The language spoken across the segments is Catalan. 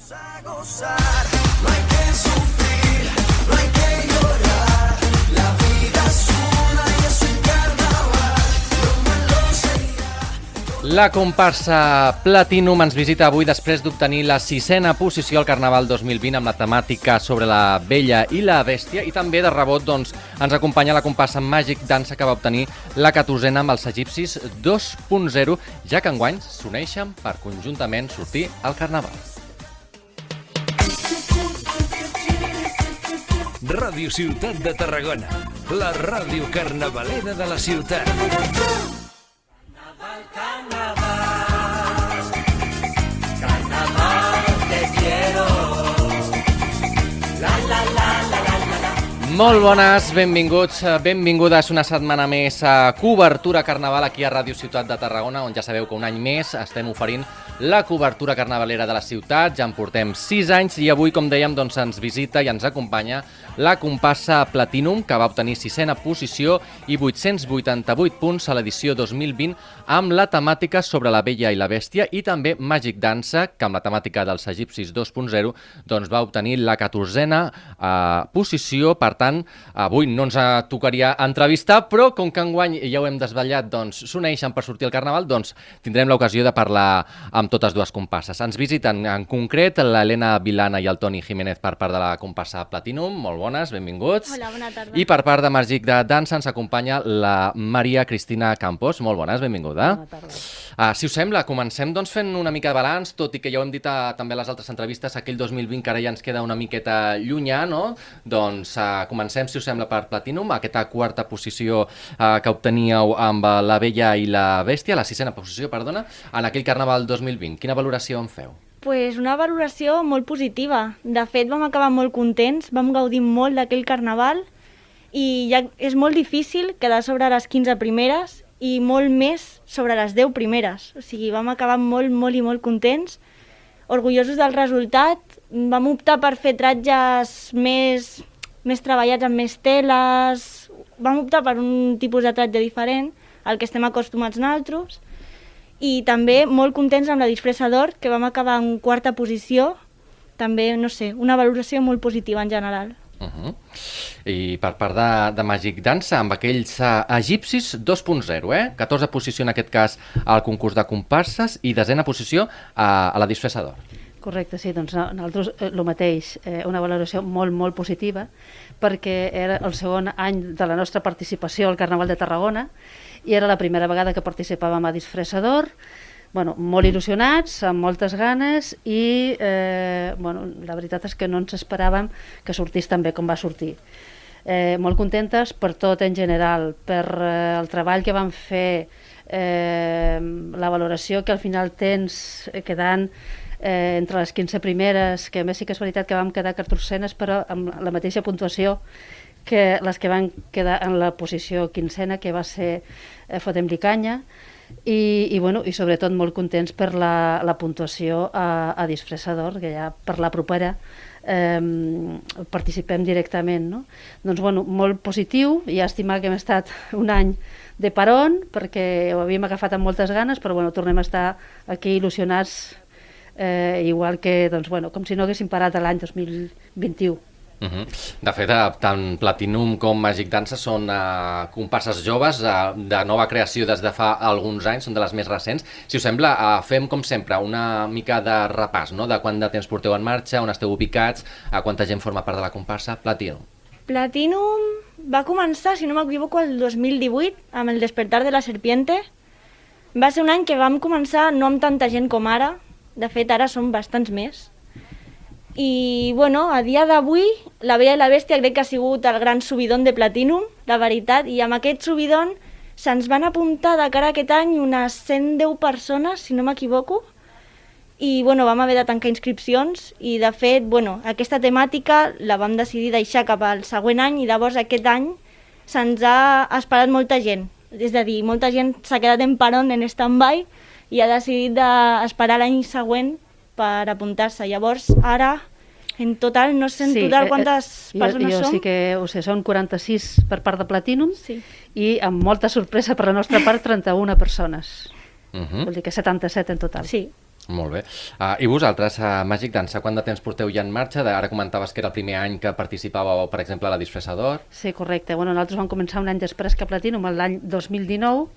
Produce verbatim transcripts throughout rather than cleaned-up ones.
La comparsa Platinum ens visita avui després d'obtenir la sisena posició al Carnaval dos mil vint amb la temàtica sobre la Bella i la Bèstia, i també de rebot doncs, ens acompanya la comparsa Magic Dansa, que va obtenir la catorzena amb els egipcis dos punt zero, ja que enguany s'uneixen per conjuntament sortir al Carnaval. Ràdio Ciutat de Tarragona, la ràdio carnavalera de la ciutat. Molt bones, benvinguts, benvingudes una setmana més a Cobertura Carnaval aquí a Ràdio Ciutat de Tarragona, on ja sabeu que un any més estem oferint la cobertura carnavalera de la ciutat. Ja en portem sis anys i avui, com dèiem, doncs ens visita i ens acompanya la comparsa Platinum, que va obtenir sisena posició i vuit-cents vuitanta-vuit punts a l'edició dos mil vint amb la temàtica sobre la Bella i la Bèstia, i també Magic Dansa, que amb la temàtica dels egipcis dos punt zero doncs va obtenir la catorzena eh, posició. Per tant, avui no ens tocaria entrevistar, però com que enguany ja ho hem desvetllat, doncs s'uneixen per sortir al Carnaval, doncs tindrem l'ocasió de parlar amb totes dues comparses. Ens visiten en concret l'Helena Vilana i el Toni Jiménez per part de la comparsa Platinum. Molt bones, benvinguts. Hola, bona tarda. I per part de Magic de Dansa ens acompanya la Maria Cristina Campos. Molt bones, benvinguda. Bona tarda. Uh, si us sembla, comencem doncs fent una mica de balanç, tot i que ja ho hem dit a, també a les altres entrevistes, aquell dos mil vint que ara ja ens queda una miqueta llunyà, no? Doncs uh, comencem, si us sembla, per Platinum, aquesta quarta posició uh, que obteníeu amb la Bella i la Bèstia, la sisena posició, perdona, en aquell Carnaval dos mil vint. Quina valoració en feu? Pues una valoració molt positiva. De fet, vam acabar molt contents, vam gaudir molt d'aquell Carnaval i ja és molt difícil quedar sobre les quinze primeres i molt més sobre les deu primeres. O sigui, vam acabar molt, molt i molt contents, orgullosos del resultat. Vam optar per fer tratges més, més treballats amb més teles, vam optar per un tipus de tratge diferent al que estem acostumats nosaltres, i també molt contents amb la disfressa d'or, que vam acabar en quarta posició. També, no sé, una valoració molt positiva en general. Uh -huh. I per part de, de Magic Dansa, amb aquells uh, egipcis dos punt zero, eh? catorze posició en aquest cas al concurs de comparses i desena posició uh, a la disfressa d'or. Correcte, sí, doncs nosaltres el mateix, eh, una valoració molt, molt positiva, perquè era el segon any de la nostra participació al Carnaval de Tarragona i era la primera vegada que participàvem a disfressa d'or. Bueno, molt il·lusionats, amb moltes ganes, i eh, bueno, la veritat és que no ens esperàvem que sortís tan bé com va sortir. Eh, molt contentes per tot en general, per eh, el treball que vam fer, eh, la valoració que al final tens eh, quedant eh, entre les quinze primeres, que a més sí que és veritat que vam quedar catorzenes, però amb la mateixa puntuació que les que van quedar en la posició quinzena, que va ser eh, Fotem-li canya, i, i, bueno, i sobretot molt contents per la, la puntuació a, a disfressa d'or, que ja per la propera eh, participem directament, no? Doncs bueno, molt positiu, llàstima que hem estat un any de paron, perquè ho havíem agafat amb moltes ganes, però bueno, tornem a estar aquí il·lusionats, eh, igual que, doncs, bueno, com si no haguéssim parat l'any dos mil vint-i-u. Uh -huh. De fet, tant Platinum com Magic Dansa són uh, comparses joves uh, de nova creació des de fa alguns anys, són de les més recents. Si us sembla, uh, fem com sempre una mica de repàs, no? De quant de temps porteu en marxa, on esteu ubicats, uh, quanta gent forma part de la comparsa Platinum. Platinum va començar, si no m'equivoco, el dos mil divuit, amb el Despertar de la Serpiente. Va ser un any que vam començar no amb tanta gent com ara, de fet ara som bastants més. I, bueno, a dia d'avui, la Bella i la Bèstia crec que ha sigut el gran subidon de Platinum, la veritat, i amb aquest subidon se'ns van apuntar de cara a aquest any unes cent deu persones, si no m'equivoco, i, bueno, vam haver de tancar inscripcions, i, de fet, bueno, aquesta temàtica la vam decidir deixar cap al següent any, i llavors aquest any se'ns ha esperat molta gent. És a dir, molta gent s'ha quedat en paron, en stand-by, i ha decidit d'esperar l'any següent per apuntar-se. Llavors, ara, en total, no sé en sí, total quantes eh, persones jo, jo som. sí que ho sé, són quaranta-sis per part de Platinum, sí. I amb molta sorpresa per la nostra part, trenta-una persones. Uh -huh. Vol dir que setanta-set en total. Sí. Molt bé. Uh, I vosaltres, a uh, Màgic Dansa, quant de temps porteu ja en marxa? De, ara comentaves que era el primer any que participàveu, per exemple, a la Disfressador. Sí, correcte. Bueno, nosaltres vam començar un any després que Platinum, l'any dos mil dinou.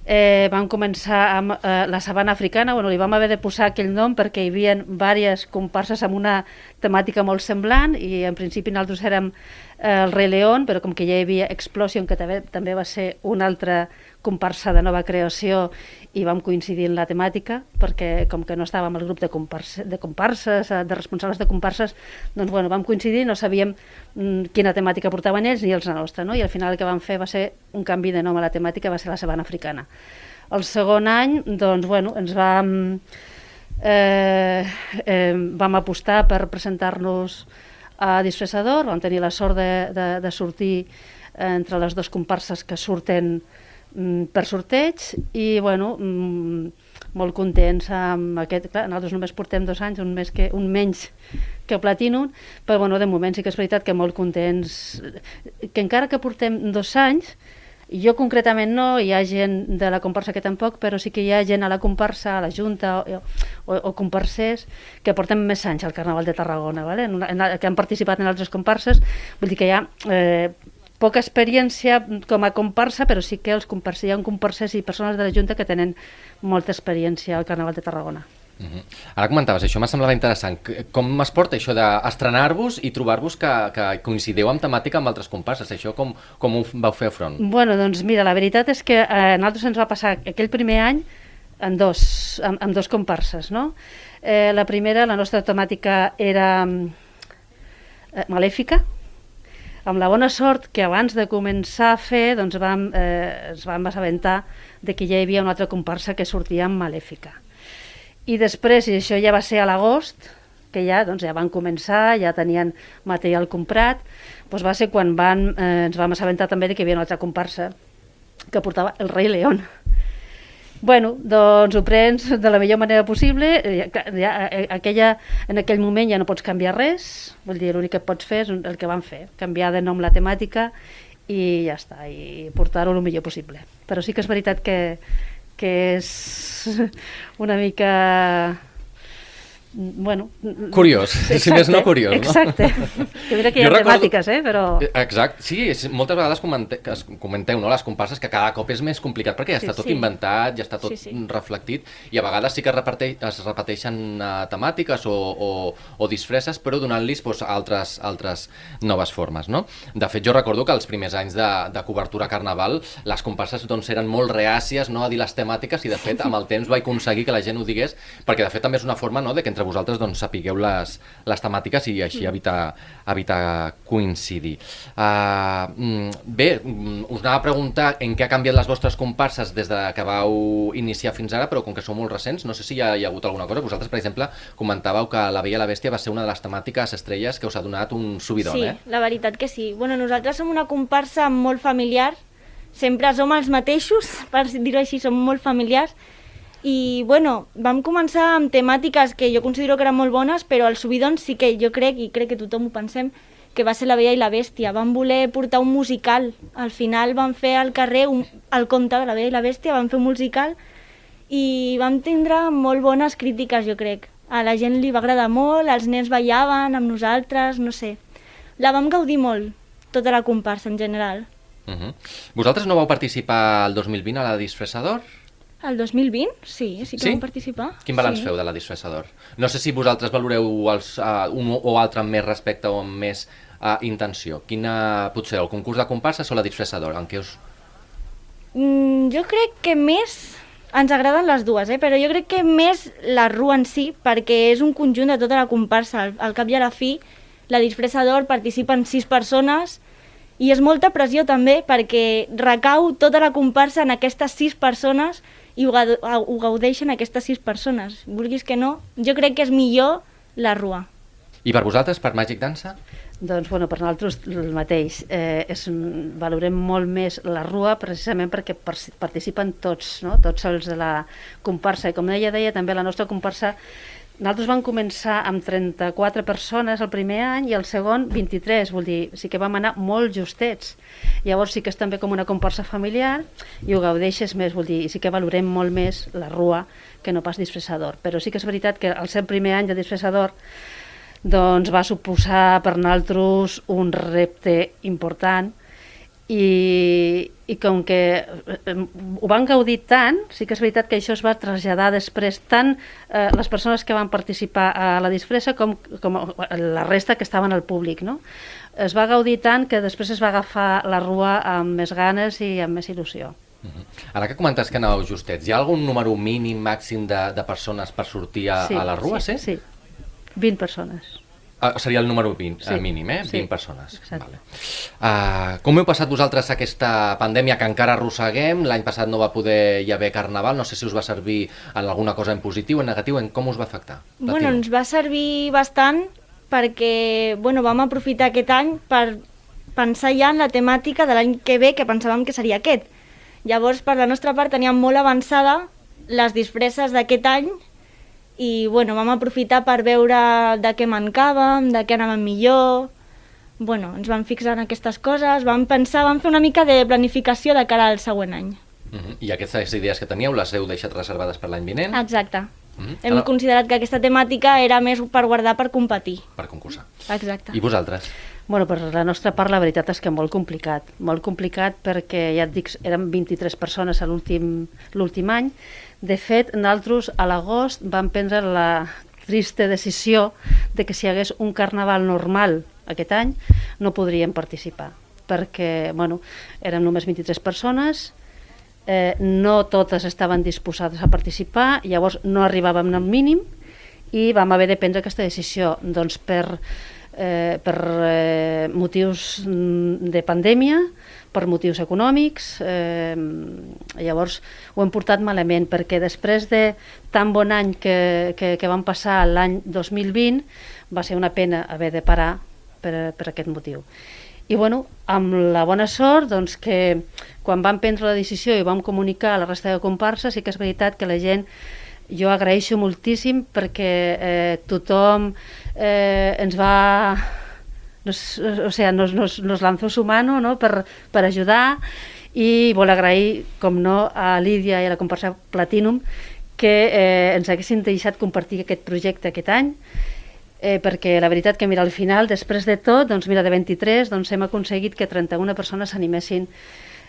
Eh, vam començar amb eh, la sabana africana. Bueno, li vam haver de posar aquell nom perquè hi havia diverses comparses amb una temàtica molt semblant i en principi nosaltres érem eh, el Rei León, però com que ja hi havia Explosion, que també, també va ser una altra comparsa de nova creació i vam coincidir en la temàtica perquè com que no estàvem al grup de, comparse, de comparses, de responsables de comparses, doncs bueno, vam coincidir, no sabíem mm, quina temàtica portaven ells ni els la nostra, no? I al final el que vam fer va ser un canvi de nom a la temàtica, va ser la sabana africana. El segon any, doncs bueno, ens vam eh, eh, vam apostar per presentar-nos a Disfressador, vam tenir la sort de, de, de sortir entre les dues comparses que surten per sorteig i bueno, molt contents amb aquest, clar, nosaltres només portem dos anys, un, més que, un menys que Platinum, però bueno, de moment sí que és veritat que molt contents, que encara que portem dos anys, jo concretament no, hi ha gent de la comparsa que tampoc, però sí que hi ha gent a la comparsa, a la Junta o, o, o comparsers que portem més anys al Carnaval de Tarragona, ¿vale? en una, en la, que han participat en altres comparses, vull dir que hi ha eh, poca experiència com a comparsa, però sí que els comparses, hi ha comparses i persones de la Junta que tenen molta experiència al Carnaval de Tarragona. Uh-huh. Ara comentaves, això m'ha semblat interessant. Com es porta això d'estrenar-vos i trobar-vos que, que coincideu amb temàtica amb altres comparses? Això com, com ho vau fer front? Bueno, doncs mira, la veritat és que a nosaltres ens va passar aquell primer any en dos, amb, amb dos comparses, no? Eh, la primera, la nostra temàtica era eh, malèfica, amb la bona sort que abans de començar a fer doncs vam, eh, ens vam assabentar de que ja hi havia una altra comparsa que sortia amb Malèfica. I després, i això ja va ser a l'agost, que ja, doncs, ja van començar, ja tenien material comprat, doncs va ser quan van, eh, ens vam assabentar també de que hi havia una altra comparsa que portava el Rei León. Bueno, doncs ho prens de la millor manera possible, ja, ja, aquella, en aquell moment ja no pots canviar res, vull dir, l'únic que pots fer és el que van fer, canviar de nom la temàtica i ja està, i portar-ho el millor possible. Però sí que és veritat que, que és una mica... Bueno, curiós, exacte, si més no curiós, no? Exacte, que mira que hi ha recordo... temàtiques, eh, però... Exacte, sí, és, moltes vegades comente... comenteu, no?, les comparses, que cada cop és més complicat perquè ja està sí, tot sí. inventat, ja està tot sí, sí. reflectit, i a vegades sí que repeteix, es repeteixen uh, temàtiques o, o, o disfresses, però donant-los pues, altres, altres noves formes, no? De fet, jo recordo que els primers anys de, de cobertura Carnaval, les comparses doncs, eren molt reàcies, no?, a dir les temàtiques, i de fet, amb el temps va aconseguir que la gent ho digués, perquè de fet també és una forma, no?, de que entre vosaltres doncs, sapigueu les, les temàtiques i així evitar, evitar coincidir. Uh, bé, us anava a preguntar en què ha canviat les vostres comparses des de que vau iniciar fins ara, però com que sou molt recents, no sé si hi ha, hi ha hagut alguna cosa. Vosaltres, per exemple, comentàveu que La Bella i la Bèstia va ser una de les temàtiques estrelles que us ha donat un subidon, sí, eh? Sí, la veritat que sí. Bueno, nosaltres som una comparsa molt familiar, sempre som els mateixos, per dir-ho així, som molt familiars. I, bueno, vam començar amb temàtiques que jo considero que eren molt bones, però el subidon sí que jo crec, i crec que tothom ho pensem, que va ser La Bella i la Bèstia. Vam voler portar un musical. Al final vam fer al carrer un, el conte de La Bella i la Bèstia, vam fer un musical i vam tindre molt bones crítiques, jo crec. A la gent li va agradar molt, els nens ballaven amb nosaltres, no sé. La vam gaudir molt, tota la comparsa en general. Uh-huh. Vosaltres no vau participar el dos mil vint a la Disfressador? El dos mil vint? Sí, sí que sí? vam participar. Quin balanç sí. feu de la Disfressador? No sé si vosaltres valoreu els, uh, un o altre amb més respecte o amb més uh, intenció. Quina potser, el concurs de comparses o la Disfressador? En què us... Mm, jo crec que més... Ens agraden les dues, eh? Però jo crec que més la rua en si, perquè és un conjunt de tota la comparsa. Al, al cap i a la fi, la Disfressador participen sis persones i és molta pressió també perquè recau tota la comparsa en aquestes sis persones i ho, ho gaudeixen aquestes sis persones. Vulguis que no, jo crec que és millor la rua. I per vosaltres, per Màgic Dansa? Doncs, bueno, per nosaltres el mateix. Eh, és, valorem molt més la rua precisament perquè participen tots, no? Tots els de la comparsa. I com ella deia, també la nostra comparsa nosaltres vam començar amb trenta-quatre persones el primer any i el segon vint-i-tres, vol dir, sí que vam anar molt justets. Llavors sí que és també com una comparsa familiar i ho gaudeixes més, vol dir, i sí que valorem molt més la rua que no pas disfressador. Però sí que és veritat que al ser el primer any de disfressador doncs va suposar per nosaltres un repte important i, i com que ho van gaudir tant, sí que és veritat que això es va traslladar després tant eh, les persones que van participar a la disfressa com, com la resta que estaven al públic, no? Es va gaudir tant que després es va agafar la rua amb més ganes i amb més il·lusió. Uh-huh. Ara que comentes que anàveu justets, hi ha algun número mínim, màxim de, de persones per sortir a, sí, a la rua, sí? Sí, sí. vint persones. Uh, seria el número vint, sí, uh, mínim, eh? Sí, vint persones. Vale. Uh, com heu passat vosaltres aquesta pandèmia que encara arrosseguem? L'any passat no va poder hi haver carnaval, no sé si us va servir en alguna cosa en positiu, en negatiu, en com us va afectar? Bueno, ens va servir bastant perquè bueno, vam aprofitar aquest any per pensar ja en la temàtica de l'any que ve, que pensàvem que seria aquest. Llavors, per la nostra part, teníem molt avançada les disfresses d'aquest any i bueno, vam aprofitar per veure de què mancàvem, de què anàvem millor. Bueno, ens vam fixar en aquestes coses, vam pensar, vam fer una mica de planificació de cara al següent any. Uh-huh. I aquestes idees que teníeu les heu deixat reservades per l'any vinent? Exacte. Uh-huh. Hem Ara... considerat que aquesta temàtica era més per guardar per competir. Per concursar. Exacte. I vosaltres? Bueno, per la nostra part la veritat és que molt complicat, molt complicat perquè ja et dic, érem vint-i-tres persones a l'últim l'últim any. De fet, nosaltres a l'agost vam prendre la trista decisió de que si hi hagués un carnaval normal aquest any no podríem participar perquè, bueno, érem només vint-i-tres persones, eh, no totes estaven disposades a participar, llavors no arribàvem al mínim i vam haver de prendre aquesta decisió, doncs per Eh, per eh, motius de pandèmia, per motius econòmics, eh, llavors ho hem portat malament perquè després de tan bon any que, que, que vam passar l'any dos mil vint va ser una pena haver de parar per, per aquest motiu. I bueno, amb la bona sort doncs, que quan vam prendre la decisió i vam comunicar a la resta de comparses, sí que és veritat que la gent, jo agraeixo moltíssim perquè eh, tothom eh, ens va, nos, o sea, nos, nos, nos lanzó su mano, no? per, per ajudar i vol agrair, com no, a Lídia i a la comparsa Platinum que eh, ens haguessin deixat compartir aquest projecte aquest any, eh, perquè la veritat que mira, al final, després de tot, doncs mira, de vint-i-tres doncs hem aconseguit que trenta-una persones s'animessin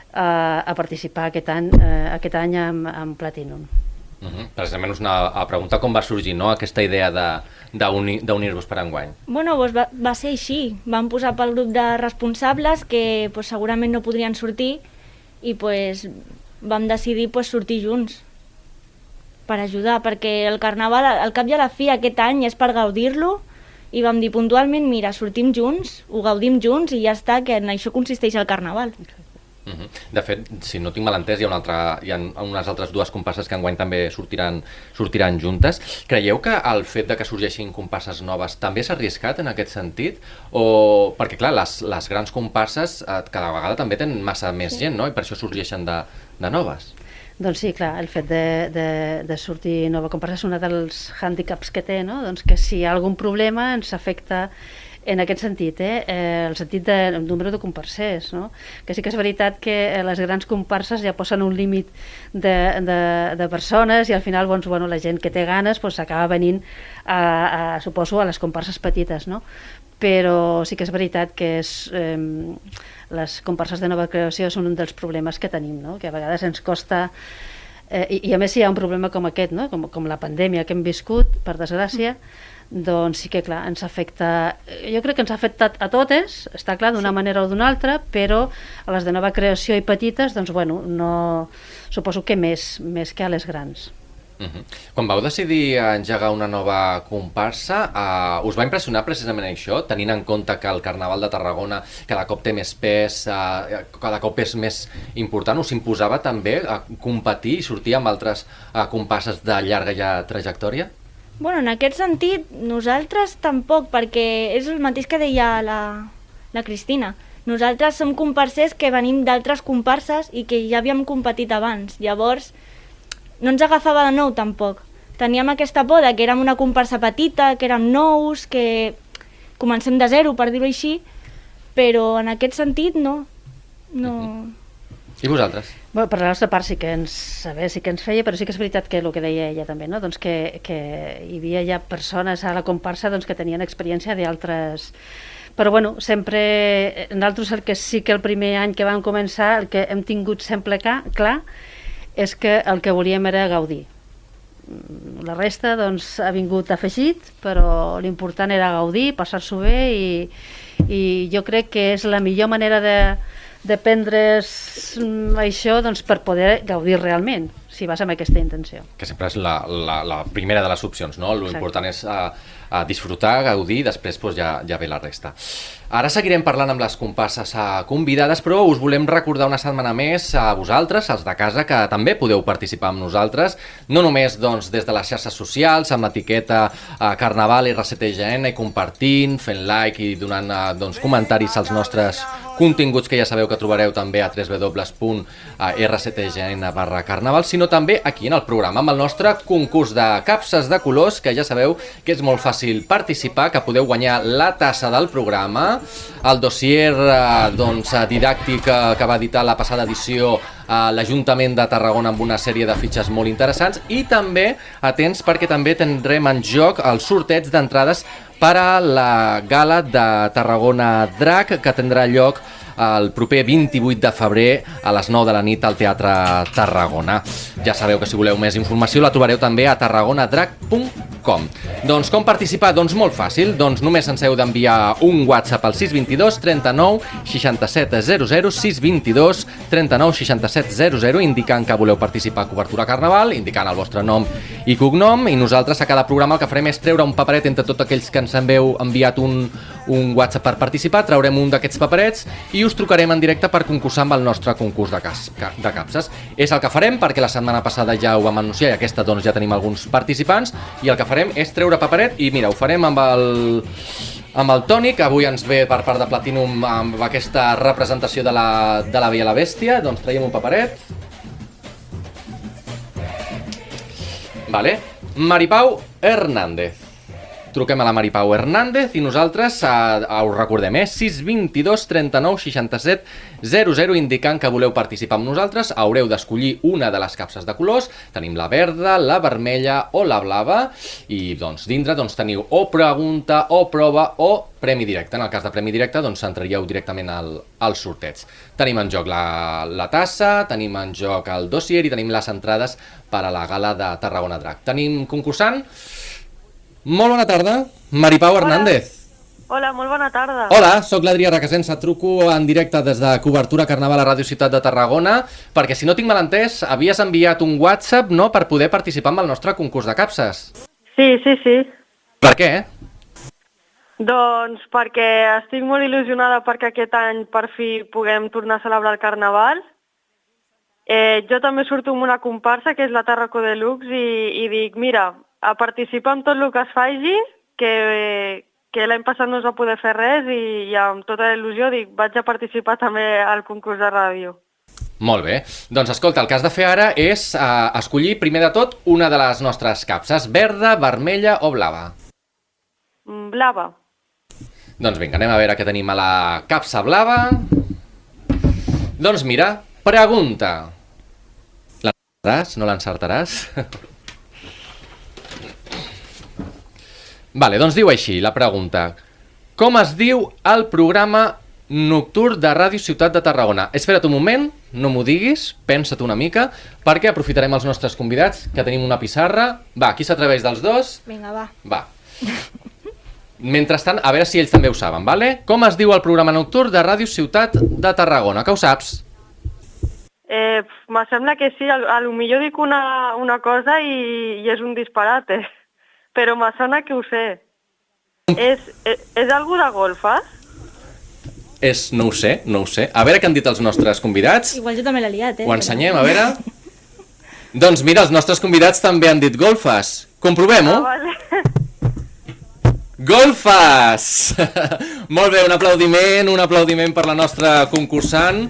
a, a participar aquest any, eh, aquest any amb, amb Platinum. Uh-huh. Precisament us anava a preguntar com va sorgir, no?, aquesta idea d'unir-vos per enguany. Bueno, doncs va, va ser així. Vam posar pel grup de responsables que pues, segurament no podrien sortir i pues, vam decidir pues, sortir junts per ajudar, perquè el carnaval, al cap i a la fi, aquest any és per gaudir-lo i vam dir puntualment, mira, sortim junts, ho gaudim junts i ja està, que en això consisteix el carnaval. Uh-huh. De fet, si no tinc mal entès, hi ha, una altra, hi ha unes altres dues comparses que enguany també sortiran, sortiran juntes. Creieu que el fet de que sorgeixin comparses noves també s'ha arriscat en aquest sentit? O... Perquè, clar, les, les grans comparses eh, cada vegada també tenen massa més sí. gent, no? I per això sorgeixen de, de noves. Doncs sí, clar, el fet de, de, de sortir nova comparsa és un dels hàndicaps que té, no? Doncs que si hi ha algun problema ens afecta en aquest sentit, eh? Eh, el sentit del número de comparsers, no? Que sí que és veritat que les grans comparses ja posen un límit de, de, de persones i al final doncs, bueno, la gent que té ganes doncs, acaba venint, a, a, suposo, a les comparses petites, no? Però sí que és veritat que és, eh, les comparses de nova creació són un dels problemes que tenim, no? Que a vegades ens costa... Eh, i, I a més si hi ha un problema com aquest, no? com, com la pandèmia que hem viscut, per desgràcia, doncs sí que clar, ens afecta, jo crec que ens ha afectat a totes, està clar, d'una sí. manera o d'una altra, però a les de nova creació i petites, doncs bueno, no, suposo que més, més que a les grans. Uh-huh. Quan vau decidir engegar una nova comparsa, uh, us va impressionar precisament això, tenint en compte que el Carnaval de Tarragona cada cop té més pes, uh, cada cop és més important, us imposava també a competir i sortir amb altres uh, comparses de llarga ja trajectòria? Bueno, en aquest sentit, nosaltres tampoc, perquè és el mateix que deia la, la Cristina. Nosaltres som comparsers que venim d'altres comparses i que ja havíem competit abans. Llavors, no ens agafava de nou tampoc. teníem aquesta por de que érem una comparsa petita, que érem nous, que comencem de zero, per dir-ho així, però en aquest sentit no. no... Mm-hmm. I vosaltres? Bueno, per la nostra part sí que ens saber, sí que ens feia, però sí que és veritat que el que deia ella també, no? Doncs que, que hi havia ja persones a la comparsa doncs, que tenien experiència d'altres... Però bueno, sempre, nosaltres el que sí que el primer any que vam començar, el que hem tingut sempre clar, clar és que el que volíem era gaudir. La resta doncs ha vingut afegit, però l'important era gaudir, passar-s'ho bé i, i jo crec que és la millor manera de, de prendre's això doncs, per poder gaudir realment, si vas amb aquesta intenció. Que sempre és la, la, la primera de les opcions, no? L'important és uh, uh, disfrutar, gaudir, després doncs, ja, ja ve la resta. Ara seguirem parlant amb les comparses convidades, però us volem recordar una setmana més a vosaltres, els de casa, que també podeu participar amb nosaltres, no només doncs, des de les xarxes socials, amb l'etiqueta eh, Carnaval R C T G N, i compartint, fent like i donant eh, doncs, comentaris als nostres continguts, que ja sabeu que trobareu també a w w w punt r c t g n barra carnaval, sinó també aquí en el programa, amb el nostre concurs de capses de colors, que ja sabeu que és molt fàcil participar, que podeu guanyar la tassa del programa, el dossier eh, doncs, didàctic eh, que va editar la passada edició eh, l'Ajuntament de Tarragona amb una sèrie de fitxes molt interessants, i també, atents, perquè també tindrem en joc el sorteig d'entrades per a la gala de Tarragona Drac, que tindrà lloc el proper vint-i-vuit de febrer a les nou de la nit al Teatre Tarragona. Ja sabeu que si voleu més informació la trobareu també a tarragonadrac punt com. Doncs com participar? Doncs molt fàcil, doncs només ens heu d'enviar un WhatsApp al sis dos dos, trenta-nou, seixanta-set, zero zero, sis dos dos, trenta-nou, seixanta-set, zero zero, indicant que voleu participar a Cobertura Carnaval, indicant el vostre nom i cognom, i nosaltres a cada programa el que farem és treure un paperet entre tots aquells que ens heu enviat un, un WhatsApp per participar, traurem un d'aquests paperets i us trucarem en directe per concursar amb el nostre concurs de, cas, de capses. És el que farem perquè la setmana passada ja ho vam anunciar i aquesta doncs ja tenim alguns participants, i el que farem és treure paperet i mira, ho farem amb el, amb el Toni, que avui ens ve per part de Platinum amb aquesta representació de la, de la Bella i la Bèstia. Doncs traiem un paperet. Vale. Maripau Hernández. Truquem a la Maripau Hernández i nosaltres eh, us recordem, eh? sis dos dos, trenta-nou, seixanta-set, zero zero, indicant que voleu participar amb nosaltres. Haureu d'escollir una de les capses de colors. Tenim la verda, la vermella o la blava, i doncs dintre doncs, teniu o pregunta o prova o premi directe. En el cas de premi directe doncs entraríeu directament al, al sorteig. Tenim en joc la, la tassa, tenim en joc el dossier i tenim les entrades per a la gala de Tarragona Drac. Tenim concursant. Molt bona tarda, Maripau Hernández. Hola, molt bona tarda. Hola, sóc l'Adrià Requesens, et truco en directe des de Cobertura Carnaval a Ràdio Ciutat de Tarragona, perquè si no tinc mal entès, havies enviat un WhatsApp, no?, per poder participar en el nostre concurs de capses. Sí, sí, sí. Per què? Doncs perquè estic molt il·lusionada perquè aquest any per fi puguem tornar a celebrar el Carnaval. Eh, jo també surto amb una comparsa, que és la Tarraco Deluxe, i, i dic, mira, a participar en tot el que es faci, que, que l'any passat no es va poder fer res, i, i amb tota la il·lusió dic, vaig a participar també al concurs de ràdio. Molt bé. Doncs escolta, el que has de fer ara és uh, escollir primer de tot una de les nostres capses, verda, vermella o blava. Blava. Doncs vinga, anem a veure què tenim a la capsa blava. Doncs mira, pregunta. L'encertaràs? No l'encertaràs? Vale, doncs diu així la pregunta. Com es diu el programa nocturn de Ràdio Ciutat de Tarragona? Espera't un moment, no m'ho diguis, pensa't una mica, perquè aprofitarem els nostres convidats, que tenim una pissarra. Va, qui s'atreveix dels dos? Vinga, va. Va. Mentrestant, a veure si ells també ho saben, vale? Com es diu el programa nocturn de Ràdio Ciutat de Tarragona? Que ho saps? Eh, me sembla que sí, a, a lo millor dic una, una cosa i, i és un disparate. Però me sona que ho sé. És, és, és algú de golfes? És, no ho sé, no ho sé. A veure què han dit els nostres convidats. Igual jo també l'he liat, eh? Ho ensenyem, a veure. Doncs mira, els nostres convidats també han dit golfes. Comprovem-ho. Ah, vale. Golfes! Molt bé, un aplaudiment, un aplaudiment per la nostra concursant.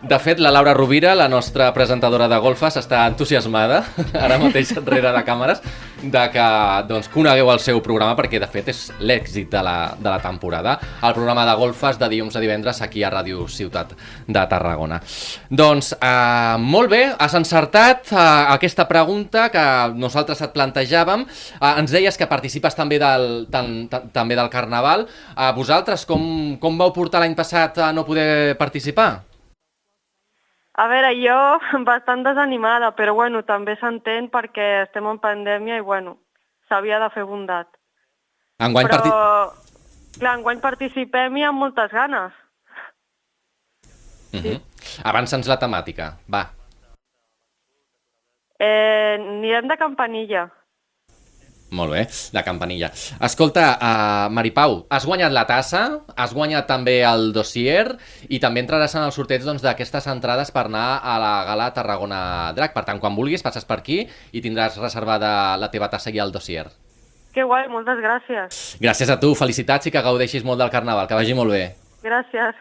De fet, la Laura Rovira, la nostra presentadora de golfes, està entusiasmada, ara mateix enrere de càmeres, de que doncs, conegueu el seu programa, perquè de fet és l'èxit de, la, de la temporada, el programa de golfes de dilluns a divendres aquí a Ràdio Ciutat de Tarragona. Doncs, eh, molt bé, has encertat eh, aquesta pregunta que nosaltres et plantejàvem. Eh, ens deies que participes també del, tan, tan, també del Carnaval. Eh, vosaltres, com, com vau portar l'any passat a no poder participar? A veure, jo bastant desanimada, però bueno, també s'entén perquè estem en pandèmia i bueno, s'havia de fer bondat. Enguany però, parti... clar, enguany participem i amb moltes ganes. Uh -huh. Sí. Avança'ns la temàtica, va. Eh, anirem de campanilla. Molt bé, de campanilla. Escolta, uh, Maripau, has guanyat la tassa, has guanyat també el dossier i també entraràs en el sorteig doncs, d'aquestes entrades per anar a la gala Tarragona Drac. Per tant, quan vulguis, passes per aquí i tindràs reservada la teva tassa i el dossier. Que guai, moltes gràcies. Gràcies a tu, felicitats i que gaudeixis molt del Carnaval, que vagi molt bé. Gràcies.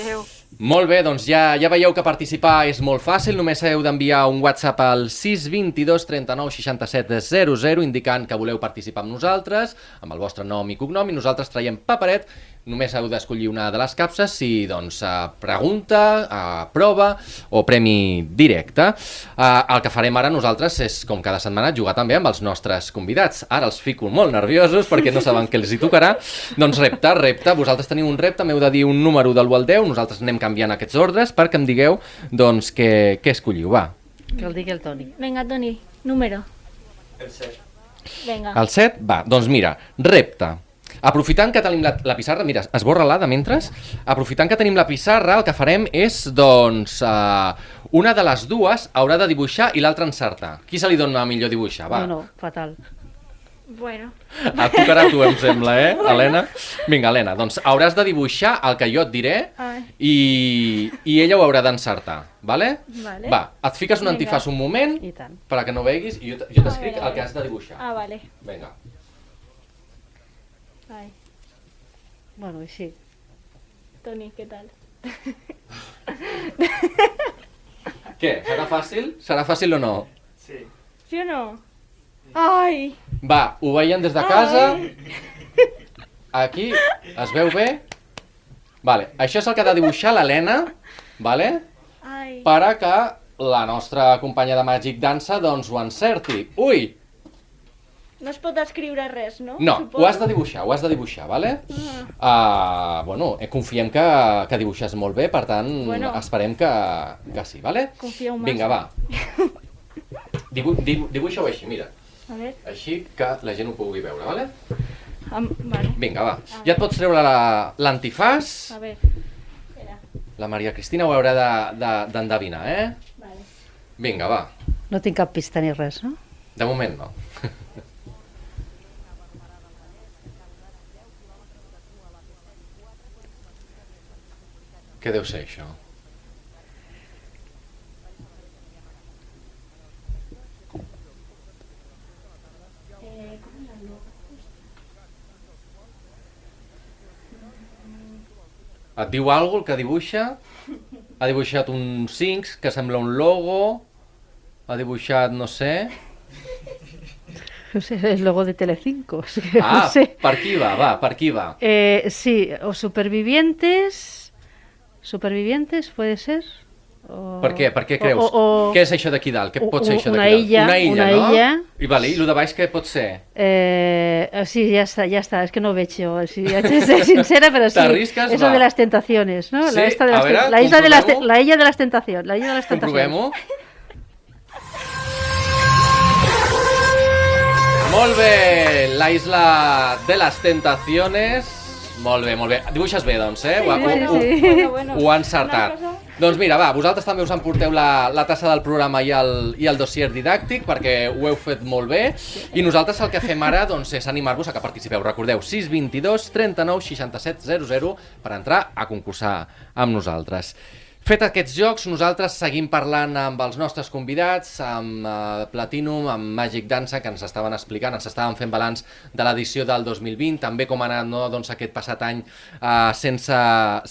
Adéu. Molt bé, doncs ja, ja veieu que participar és molt fàcil, només heu d'enviar un WhatsApp al sis dos dos, trenta nou, seixanta set, zero zero indicant que voleu participar amb nosaltres, amb el vostre nom i cognom, i nosaltres traiem paperet. Només heu d'escollir una de les capses si, doncs, pregunta, prova o premi directe. El que farem ara nosaltres és, com cada setmana, jugar també amb els nostres convidats. Ara els fico molt nerviosos perquè no saben què els hi tocarà. Doncs repte, repte. Vosaltres teniu un repte, m'heu de dir un número del u al deu, nosaltres anem canviant aquests ordres perquè em digueu, doncs, què, què escolliu, va. Que el digui el Toni. Vinga, Toni, número. El set. Vinga. El set? Va, doncs mira, repte. Aprofitant que tenim la, la pissarra, mira, esborra-la de mentres, aprofitant que tenim la pissarra, el que farem és, doncs, uh, una de les dues haurà de dibuixar i l'altra encertar. Qui se li dona millor dibuixar? Va. No, no, fatal. Bueno. Et tocarà a tu, em sembla, eh, Helena? Vinga, Helena, doncs hauràs de dibuixar el que jo et diré i, i ella ho haurà d'encertar, vale? Vale. Va, et fiques un antifàs un moment, I tant. perquè no veguis, i jo, jo t'escric el que has de dibuixar. Ah, vale. Vinga. Ai, Bueno, així. Toni, què tal? Què, serà fàcil? Serà fàcil o no? Sí. Sí o no? Ai! Va, ho veiem des de casa. Aquí, es veu bé? Vale, això és el que ha de dibuixar l'Helena, vale? Ai! Per a que la nostra companya de Magic Dansa doncs ho encerti. Ui! No es pot escriure res, no? No, Suposo. ho has de dibuixar, ho has de dibuixar, vale? Uh, bueno, eh, confiem que, que dibuixes molt bé, per tant, Bueno. esperem que, que sí, vale? Confieu massa. Vinga, va. Dibu dibu Dibuixa-ho així, mira. A veure, Així que la gent ho pugui veure, vale? am, vale. Vinga, va. Ja et pots treure la- l'antifàs. A veure, espera, La Maria Cristina ho haurà de- de- d'endevinar, eh? vale. Vinga, va. No tinc cap pista ni res, no? De moment no. Què deu ser això? Et diu alguna cosa el que dibuixa? Ha dibuixat un cinc que sembla un logo. Ha dibuixat, no sé... No sé, el logo de Telecinco. És que Ah, no sé. per qui va? Va, per qui va? Eh, sí, o Supervivientes. Supervivientes, puede ser. O... Per què? Per què creus? O, o, o... Què és això d'aquí dalt? Què u- pot ser u- això una d'aquí dalt? illa, Una illa, una no? illa. I, vale, i el de baix què pot ser? Eh, sí, ya está, ya está, es que no veig jo, sí, haig de ser sincera, pero sí, T'arrisques? eso Va. de las tentaciones, ¿no? Sí? La, esta de A las, veure, ten- la isla de las, te- comprovem-ho. la illa de las tentaciones, la illa de las tentaciones. Comprovem-ho. Molt bé, la isla de les tentaciones. Molt bé, molt bé. Dibuixes bé, doncs, eh? Ho, ha- Sí, ho, sí. Bueno, bueno. ho ha encertat. Una cosa- Doncs mira, va, vosaltres també us emporteu la, la tassa del programa i el, i el dossier didàctic perquè ho heu fet molt bé i nosaltres el que fem ara doncs, és animar-vos a que participeu. Recordeu, sis dos dos, trenta nou, seixanta set, zero zero per entrar a concursar amb nosaltres. Fet aquests jocs, nosaltres seguim parlant amb els nostres convidats, amb uh, Platinum, amb Magic Dansa, que ens estaven explicant, ens estaven fent balanç de l'edició del dos mil vint, també com ha anat, no, doncs, aquest passat any uh, sense,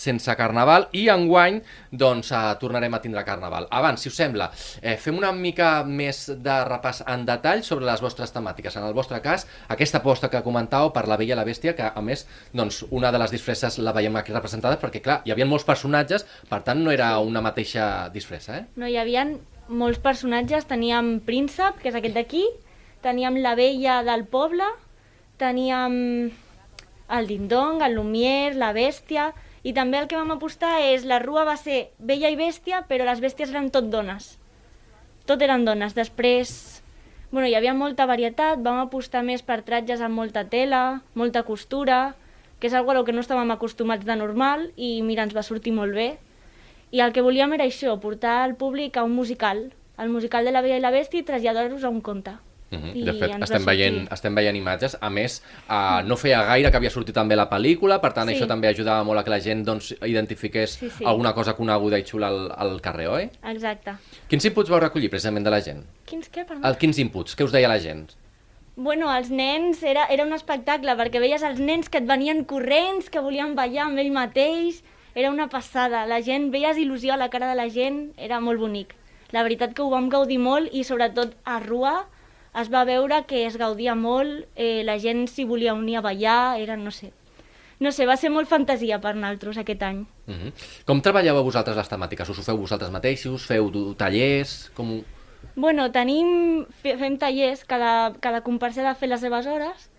sense Carnaval, i enguany doncs, uh, tornarem a tindre Carnaval. Abans, si us sembla, eh, fem una mica més de repàs en detall sobre les vostres temàtiques. En el vostre cas, aquesta aposta que comentàveu per La Bella i la Bèstia, que a més, doncs, una de les disfresses la veiem aquí representada, perquè clar, hi havia molts personatges, per tant no era una mateixa disfressa, eh? No, hi havia molts personatges, teníem Príncep, que és aquest d'aquí, teníem la Bella del poble, teníem el Dindong, el Lumière, la Bèstia, i també el que vam apostar és, la rua va ser Bella i Bèstia, però les bèsties eren tot dones. Tot eren dones. Després, bueno, hi havia molta varietat, vam apostar més per tratges amb molta tela, molta costura, que és algo a lo que no estàvem acostumats de normal, i mira, ens va sortir molt bé. I el que volíem era això, portar el públic a un musical, el musical de La Bella i la Bèstia, i traslladar-los a un conte. Uh -huh. De fet, estem veient, estem veient imatges. A més, uh, no feia gaire que havia sortit també la pel·lícula, per tant, sí. Això també ajudava molt a que la gent doncs, identifiqués sí, sí. alguna cosa coneguda i xula al, al carrer, oi? Exacte. Quins inputs vau recollir precisament de la gent? Quins què, perdó? El, quins inputs? Què us deia la gent? Bueno, els nens, era, era un espectacle, perquè veies els nens que et venien corrents, que volien ballar amb ell mateix. Era una passada, la gent, veies il·lusió a la cara de la gent, era molt bonic. La veritat que ho vam gaudir molt i sobretot a Rua es va veure que es gaudia molt, eh, la gent s'hi volia unir a ballar, era, no sé, no sé, va ser molt fantasia per nosaltres aquest any. Uh -huh. Com treballeu vosaltres les temàtiques? Us ho feu vosaltres mateixos? Feu tallers? Com... Bueno, tenim, fem tallers, cada, cada comparsa ha de fer les seves hores,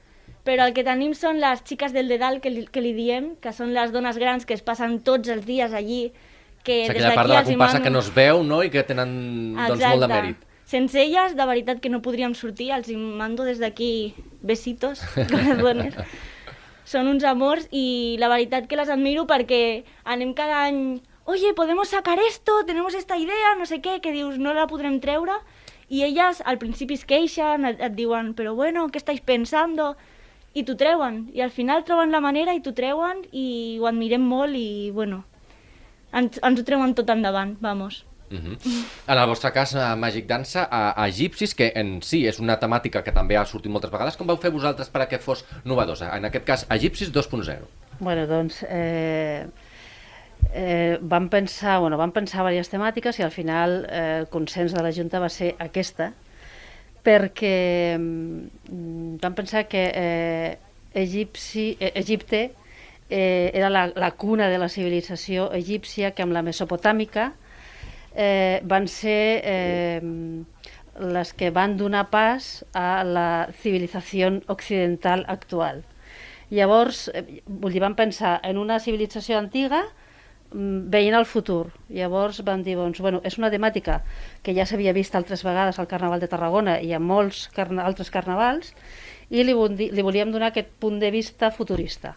però el que tenim són les xiques del dedal, que li, que li diem, que són les dones grans que es passen tots els dies allí, que o sigui, des aquella part de la comparsa mano... que no es veu, no?, i que tenen doncs, molt de mèrit. Sense elles, de veritat que no podríem sortir, els mando des d'aquí besitos, corazones. Són uns amors i la veritat que les admiro perquè anem cada any, oye, podemos sacar esto, tenemos esta idea, no sé què, que dius, no la podrem treure, i elles al principi es queixen, et, et diuen, però bueno, què estáis pensando? I t'ho treuen, i al final troben la manera i t'ho treuen i ho admirem molt i, bueno, ens, ens ho treuen tot endavant, vamos. Uh -huh. En el vostre cas, a Magic Dansa, a, a Egipcis, que en si és una temàtica que també ha sortit moltes vegades, com vau fer vosaltres perquè fos novedosa? En aquest cas, Egipcis dos punt zero. Bueno, doncs, eh, eh, vam pensar, bueno, vam pensar diverses temàtiques i al final eh, el consens de la Junta va ser aquesta, perquè mm, vam pensar que eh, Egipci, eh, Egipte eh, era la, la cuna de la civilització egípcia, que amb la mesopotàmica eh, van ser eh, les que van donar pas a la civilització occidental actual. Llavors, eh, vull dir, vam pensar en una civilització antiga veient el futur. Llavors vam dir, doncs, bueno, és una temàtica que ja s'havia vist altres vegades al Carnaval de Tarragona i a molts carna altres carnavals, i li, li volíem donar aquest punt de vista futurista.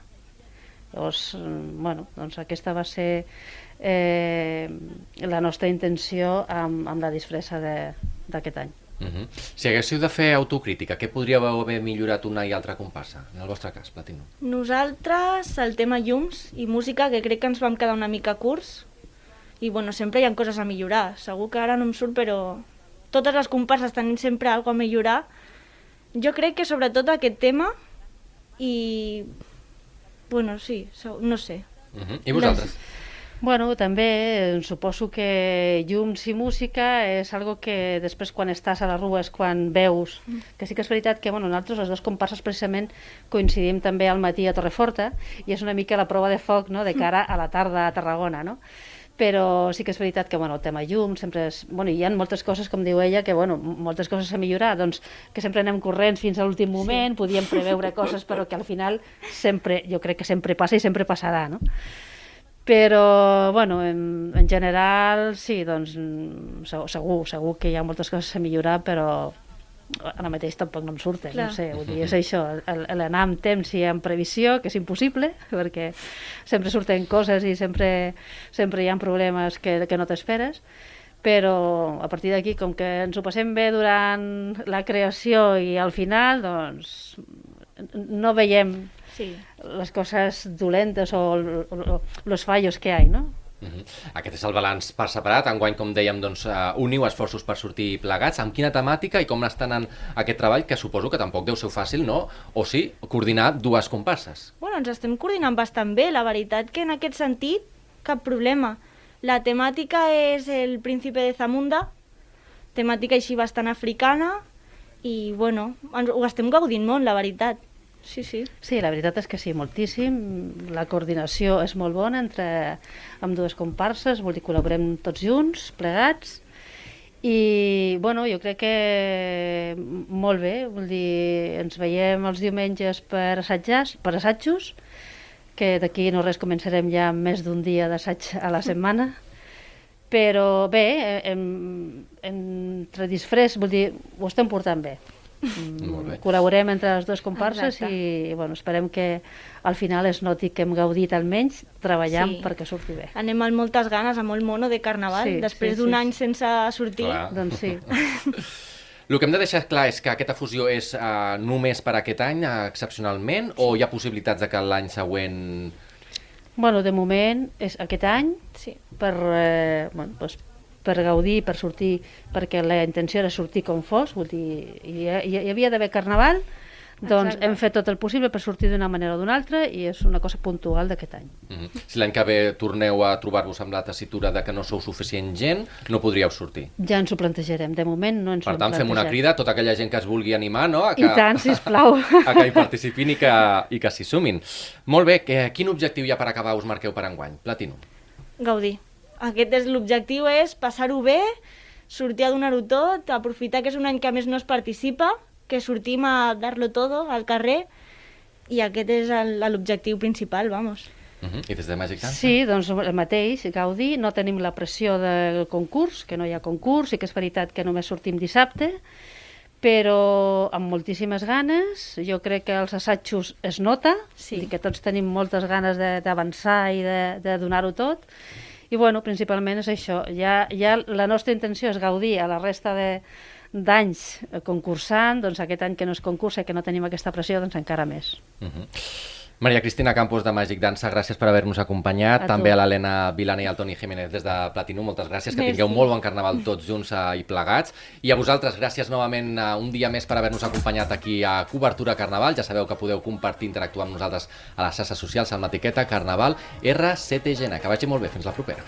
Llavors, bueno, doncs aquesta va ser eh, la nostra intenció amb, amb la disfressa d'aquest any. Uh -huh. Si haguéssiu de fer autocrítica, què podríeu haver millorat una i altra comparsa, en el vostre cas, Platino? Nosaltres, el tema llums i música, que crec que ens vam quedar una mica curts, i bueno, sempre hi ha coses a millorar. Segur que ara no em surt, però totes les comparses tenim sempre alguna cosa a millorar. Jo crec que sobretot aquest tema i... bueno, sí, no sé. Uh -huh. I vosaltres? Les... Bueno, també suposo que llums i música és algo que després quan estàs a la rua és quan veus, que sí que és veritat que bueno, nosaltres les dues comparses precisament coincidim també al matí a Torreforta i és una mica la prova de foc, no?, de cara a la tarda a Tarragona, no? Però sí que és veritat que bueno, el tema llum sempre és... Bueno, hi ha moltes coses, com diu ella, que bueno, moltes coses a millorar, doncs que sempre anem corrents fins a l'últim moment, sí. Podíem preveure coses, però que al final sempre, jo crec que sempre passa i sempre passarà, no? Però, bueno, en, en general, sí, doncs, segur, segur que hi ha moltes coses a millorar, però ara mateix tampoc no em surten, Clar. no sé, vull dir, és això, l'anar amb temps i amb previsió, que és impossible, perquè sempre surten coses i sempre, sempre hi ha problemes que, que no t'esperes, però a partir d'aquí, com que ens ho passem bé durant la creació i al final, doncs, no veiem... Sí. les coses dolentes o los fallos que hay, ¿no? Uh-huh. Aquest és el balanç per separat. Enguany, com dèiem, doncs, uh, uniu esforços per sortir plegats. Amb quina temàtica i com està anant aquest treball, que suposo que tampoc deu ser fàcil, no? O sí, coordinar dues comparses. Bueno, ens estem coordinant bastant bé, la veritat que en aquest sentit cap problema. La temàtica és el príncipe de Zamunda, temàtica així bastant africana, i bueno, ens, ho estem gaudint molt, la veritat. Sí, sí. Sí, la veritat és que sí, moltíssim. La coordinació és molt bona entre amb dues comparses, vol dir, col·laborem tots junts, plegats, i bueno, jo crec que molt bé, vol dir, ens veiem els diumenges per assajar, per assajos, que d'aquí no res començarem ja amb més d'un dia d'assaig a la setmana, però bé, em, entre disfress, vol dir, ho estem portant bé. Molt bé. Col·laborem entre les dues comparses. Exacte. I bueno, esperem que al final es noti que hem gaudit almenys treballant Sí. perquè surti bé. Anem amb moltes ganes, amb molt mono de carnaval, Sí, després sí, d'un sí, any sí. sense sortir. Clar. Doncs sí. El que hem de deixar clar és que aquesta fusió és uh, només per aquest any, uh, excepcionalment, o hi ha possibilitats de que l'any següent... Bueno, de moment és aquest any Sí. per, eh, bueno, doncs, per gaudir, per sortir, perquè la intenció era sortir com fos, vull dir, hi, hi, hi havia d'haver carnaval, doncs Exacte. hem fet tot el possible per sortir d'una manera o d'una altra i és una cosa puntual d'aquest any. Uh -huh. Si l'any que ve torneu a trobar-vos amb la tessitura de que no sou suficient gent, no podríeu sortir. Ja ens ho plantejarem, de moment no ens Per ho hem tant, fem una plantejat. crida a tota aquella gent que es vulgui animar, no? A que, I tant, sisplau. a que hi participin i que, i que s'hi sumin. Molt bé, que, quin objectiu hi ha per acabar us marqueu per enguany? Platinum. Gaudir. Aquest és l'objectiu, és passar-ho bé, sortir a donar-ho tot, aprofitar que és un any que a més no es participa, que sortim a dar-lo todo al carrer, i aquest és el- l'objectiu principal, vamos. Uh -huh. I des de Magic Dance? Sí, doncs el mateix, gaudir, no tenim la pressió del concurs, que no hi ha concurs, i que és veritat que només sortim dissabte, però amb moltíssimes ganes. Jo crec que els assajos es nota, Sí. i que tots tenim moltes ganes de- d'avançar i de, de donar-ho tot, i bueno, principalment és això. Ja, ja la nostra intenció és gaudir a la resta de d'anys concursant, doncs aquest any que no es concursa i que no tenim aquesta pressió, doncs encara més. Uh -huh. Maria Cristina Campos de Magic Dansa, gràcies per haver-nos acompanyat. A També tu. a l'Helena Vilana i al Toni Jiménez des de Platinum, moltes gràcies, que Merci. tingueu molt bon carnaval tots junts eh, i plegats. I a vosaltres, gràcies novament eh, un dia més per haver-nos acompanyat aquí a Cobertura Carnaval. Ja sabeu que podeu compartir, interactuar amb nosaltres a les xarxes socials amb l'etiqueta Carnaval R set G N. Que vagi molt bé, fins la propera.